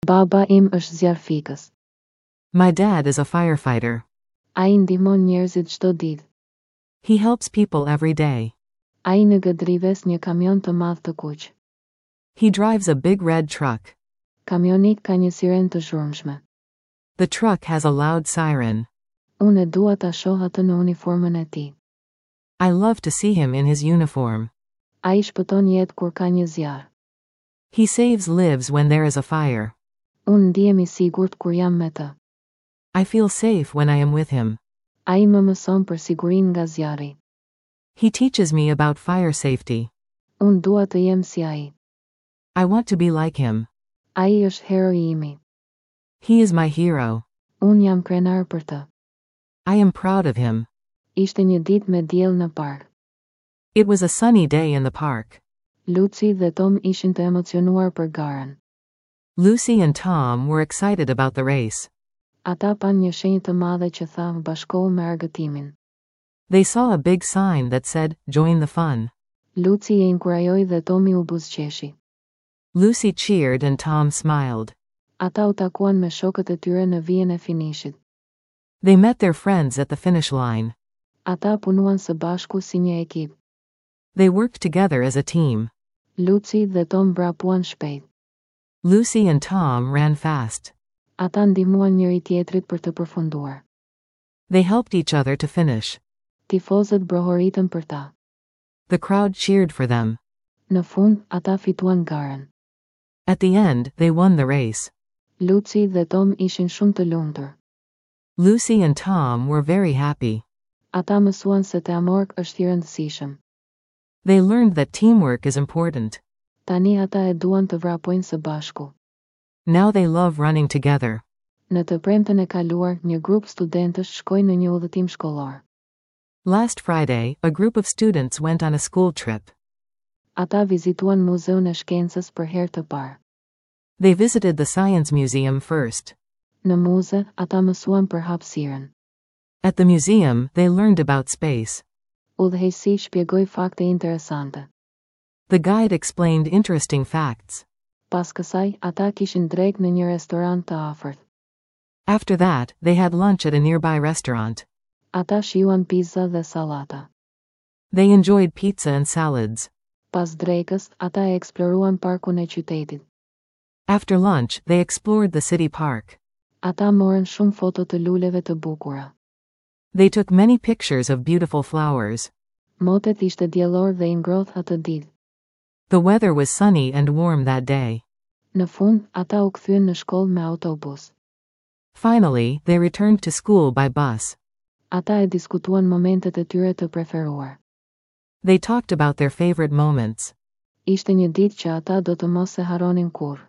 Baba im është zjarrfikës. My dad is a firefighter. Ai ndihmon njerëzit çdo ditë. He helps people every day. Ai në një kamion të madh të kuq. He drives a big red truck. Kamioni ka një sirenë të zhurmshme. The truck has a loud siren. Unë e dua ta shoh atë në uniformën e tij. I love to see him in his uniform. Ai shpëton jetë kur ka një zjarr. He saves lives when there is a fire. Unë ndihem i sigurt kur jam me të. I feel safe when I am with him. Ai më mëson për sigurinë nga zjarri. He teaches me about fire safety. Unë dua të jem si ai. I want to be like him. Ai është heroi imi. He is my hero. Unë jam krenar për të. I am proud of him. Ishte një ditë me diell në park. It was a sunny day in the park. Lucy dhe Tom ishin të emocionuar për garën. Lucy and Tom were excited about the race. Ata panë një shenjë të madhe që tha bashkohu me argëtimin. They saw a big sign that said, Join the fun. Lucy e inkurajoi dhe Tomi u buzëqeshi. Lucy cheered and Tom smiled. Ata u takuan me shokët e tyre në vijën e finishit. They met their friends at the finish line. Ata punuan së bashku si një ekip. They worked together as a team. Lucy dhe Tom vrapuan shpejt. Lucy and Tom ran fast. Ata ndihmuan njëri tjetrit për të përfunduar. They helped each other to finish. Tifozët brohoritën për ta. The crowd cheered for them. Në fund, ata fituan garën. At the end, they won the race. Lucy dhe Tom ishin shumë të lumtur. Lucy and Tom were very happy. Ata mësuan se teamwork është i rëndësishëm. They learned that teamwork is important. Tani ata e duan të vrapojnë së bashku. Now they love running together. Në të premten e kaluar, një grup studentësh shkoi në një udhëtim shkollor. Last Friday, a group of students went on a school trip. Ata vizituan muzeun e shkencës për herë të parë. They visited the science museum first. Në muze, ata mësuan për hapësirën. At the museum, they learned about space. Udhëheqësi shpjegoi fakte interesante. The guide explained interesting facts. Pas kësaj, ata kishin drekë në një restorant të afërt. After that, they had lunch at a nearby restaurant. Ata shijuan pizza dhe sallata. They enjoyed pizza and salads. Pas drekës, ata e eksploruan parkun e qytetit. After lunch, they explored the city park. Ata morën shumë foto të luleve të bukura. They took many pictures of beautiful flowers. Motet ishte diellor dhe i ngrohtë atë ditë. The weather was sunny and warm that day. Në fund, ata u kthyen në shkollë me autobus. Finally, they returned to school by bus. Ata e diskutuan momentet e tyre të preferuar. They talked about their favorite moments. Ishte një ditë që ata do të mos e harronin kurrë.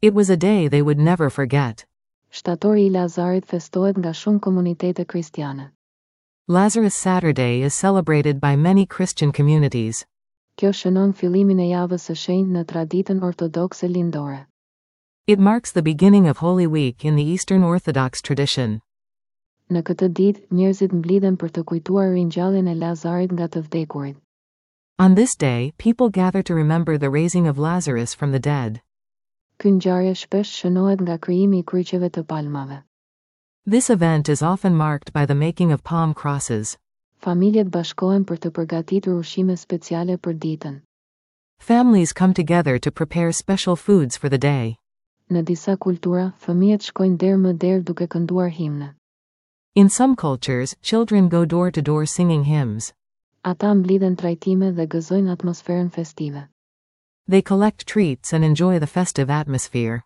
It was a day they would never forget. Shtatori i Lazarit festohet nga shumë komunitete kristiane. Lazarus Saturday is celebrated by many Christian communities. Kjo shënon fillimin e javës së shenjtë në traditën ortodokse lindore. It marks the beginning of Holy Week in the Eastern Orthodox tradition. Në këtë ditë, njerëzit mblidhen për të kujtuar ringjalljen e Lazarit nga të vdekurit. On this day, people gather to remember the raising of Lazarus from the dead. Ky ngjarje shpesh shënohet nga krijimi i kryqeve të palmave. This event is often marked by the making of palm crosses. Familjet bashkohen për të përgatitur ushqime speciale për ditën. Families come together to prepare special foods for the day. Në disa kultura, fëmijët shkojnë derë më derë duke kënduar himne. In some cultures, children go door to door singing hymns. Ata mblidhen trajtime dhe gëzojnë atmosferën festive. They collect treats and enjoy the festive atmosphere.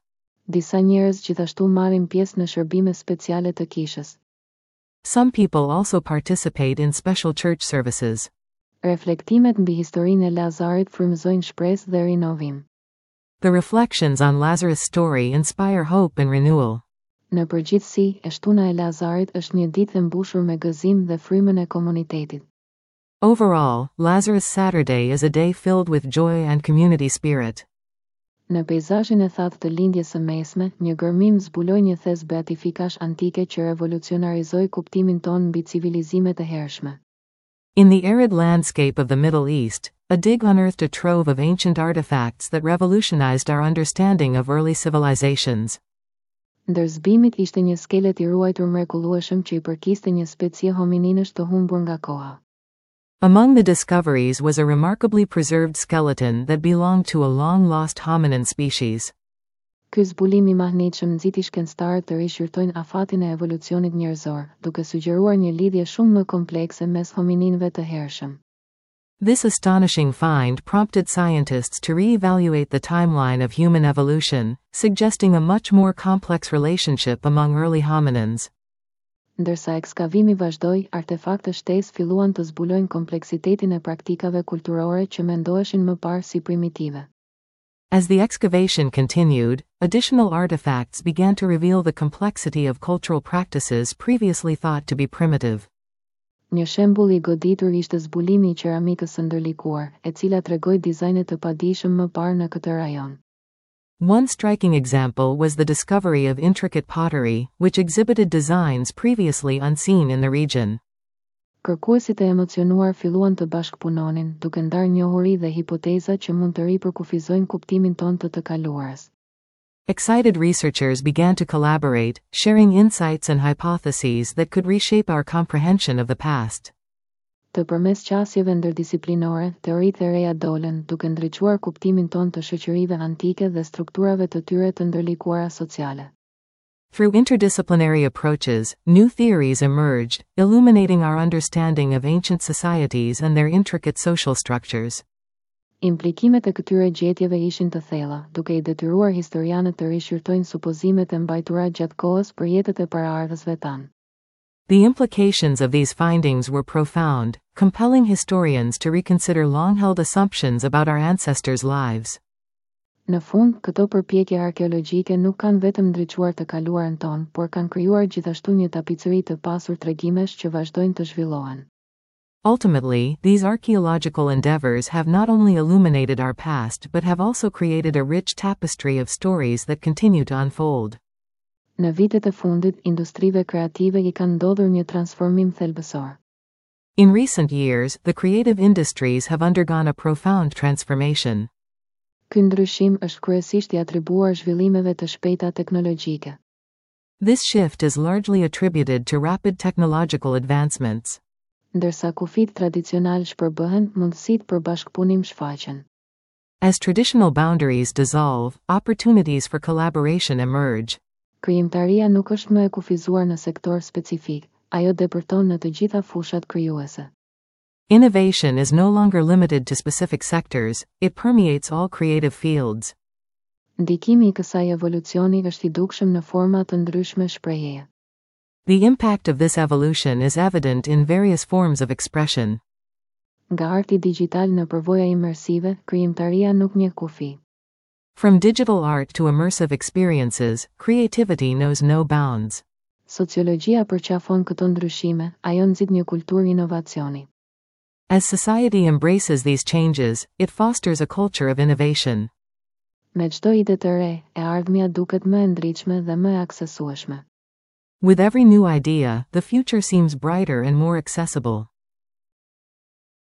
Disa njerëz gjithashtu marrin pjesë në shërbime speciale të kishës. Some people also participate in special church services. Reflektimet mbi historinë e Lazarit frymëzojnë shpresë dhe rinovim. The reflections on Lazarus' story inspire hope and renewal. Në përgjithësi, e shtuna e Lazarit është një ditë e mbushur me gëzim dhe frymën e komunitetit. Overall, Lazarus Saturday is a day filled with joy and community spirit. Në peizazhin e thatë të lindjes së mesme, një gërmim zbuloi një thes beatifikash antike që revolucionarizoi kuptimin tonë mbi civilizimet e hershme. In the arid landscape of the Middle East, a dig unearthed a trove of ancient artifacts that revolutionized our understanding of early civilizations. Ndër zbulimet ishte një skelet i ruajtur mrekullueshëm që i përkiste një specie homininësh të humbur nga koha. Among the discoveries was a remarkably preserved skeleton that belonged to a long-lost hominin species. Ky zbulim i mahnitshëm nxiti shkencëtarët të rishqyrtojnë afatin e evolucionit njerëzor, duke sugjeruar një lidhje shumë më komplekse mes homininëve të hershëm. This astonishing find prompted scientists to re-evaluate the timeline of human evolution, suggesting a much more complex relationship among early hominins. Ndërsa ekskavimi vazhdoi, artefakte shtesë filluan të zbulojnë kompleksitetin e praktikave kulturore që mendoheshin më parë si primitive. As the excavation continued, additional artifacts began to reveal the complexity of cultural practices previously thought to be primitive. Një shembull i goditur ishte zbulimi i qeramikës së ndërlikuar, e cila tregoi dizajne të padijshëm më parë në këtë rajon. One striking example was the discovery of intricate pottery, which exhibited designs previously unseen in the region. Kërkuesit e emocionuar filluan të bashkëpunonin, duke ndarë njohuri dhe hipoteza që mund të ripërkufizojnë kuptimin tonë të të kaluarës. Excited researchers began to collaborate, sharing insights and hypotheses that could reshape our comprehension of the past. Të përmes qasjeve ndërdisiplinore, teoritë e reja dolën, duke ndriçuar kuptimin tonë të shoqërive antike dhe strukturave të tyre të ndërlikuara sociale. Through interdisciplinary approaches, new theories emerged, illuminating our understanding of ancient societies and their intricate social structures. Implikimet e këtyre gjetjeve ishin të thella, duke i detyruar historianët të rishqyrtojnë supozimet e mbajtura gjatë kohës për jetët e paraardhësve tanë. The implications of these findings were profound, compelling historians to reconsider long-held assumptions about our ancestors' lives. Në fund, këto përpjekje arkeologjike nuk kanë vetëm ndriçuar të kaluarën tonë, por kanë krijuar gjithashtu një tapicëri të pasur tregimesh që vazhdojnë të zhvillohen. Ultimately, these archaeological endeavors have not only illuminated our past but have also created a rich tapestry of stories that continue to unfold. Në vitet e fundit, industrive kreative i kanë ndodhur një transformim thelbësor. In recent years, the creative industries have undergone a profound transformation. Ky ndryshim është kryesisht i atribuar zhvillimeve të shpejta teknologjike. This shift is largely attributed to rapid technological advancements. Ndërsa kufijtë tradicional shpërbëhen, mundësitë për bashkëpunim shfaqen. As traditional boundaries dissolve, opportunities for collaboration emerge. Krijimtaria nuk është më e kufizuar në sektor specifik, ajo depërton në të gjitha fushat krijuese. Innovation is no longer limited to specific sectors, it permeates all creative fields. Ndikimi i kësaj evolucioni është i dukshëm në forma të ndryshme shprehjeje. The impact of this evolution is evident in various forms of expression. Nga arti digital në përvoja imersive, krijimtaria nuk njeh kufi. From digital art to immersive experiences, creativity knows no bounds. Sociologjia përqafon këto ndryshime, ajo nxit një kulturë inovacioni. As society embraces these changes, it fosters a culture of innovation. Me çdo ide të re, e ardhmja duket më e ndritshme dhe më e aksesueshme. With every new idea, the future seems brighter and more accessible.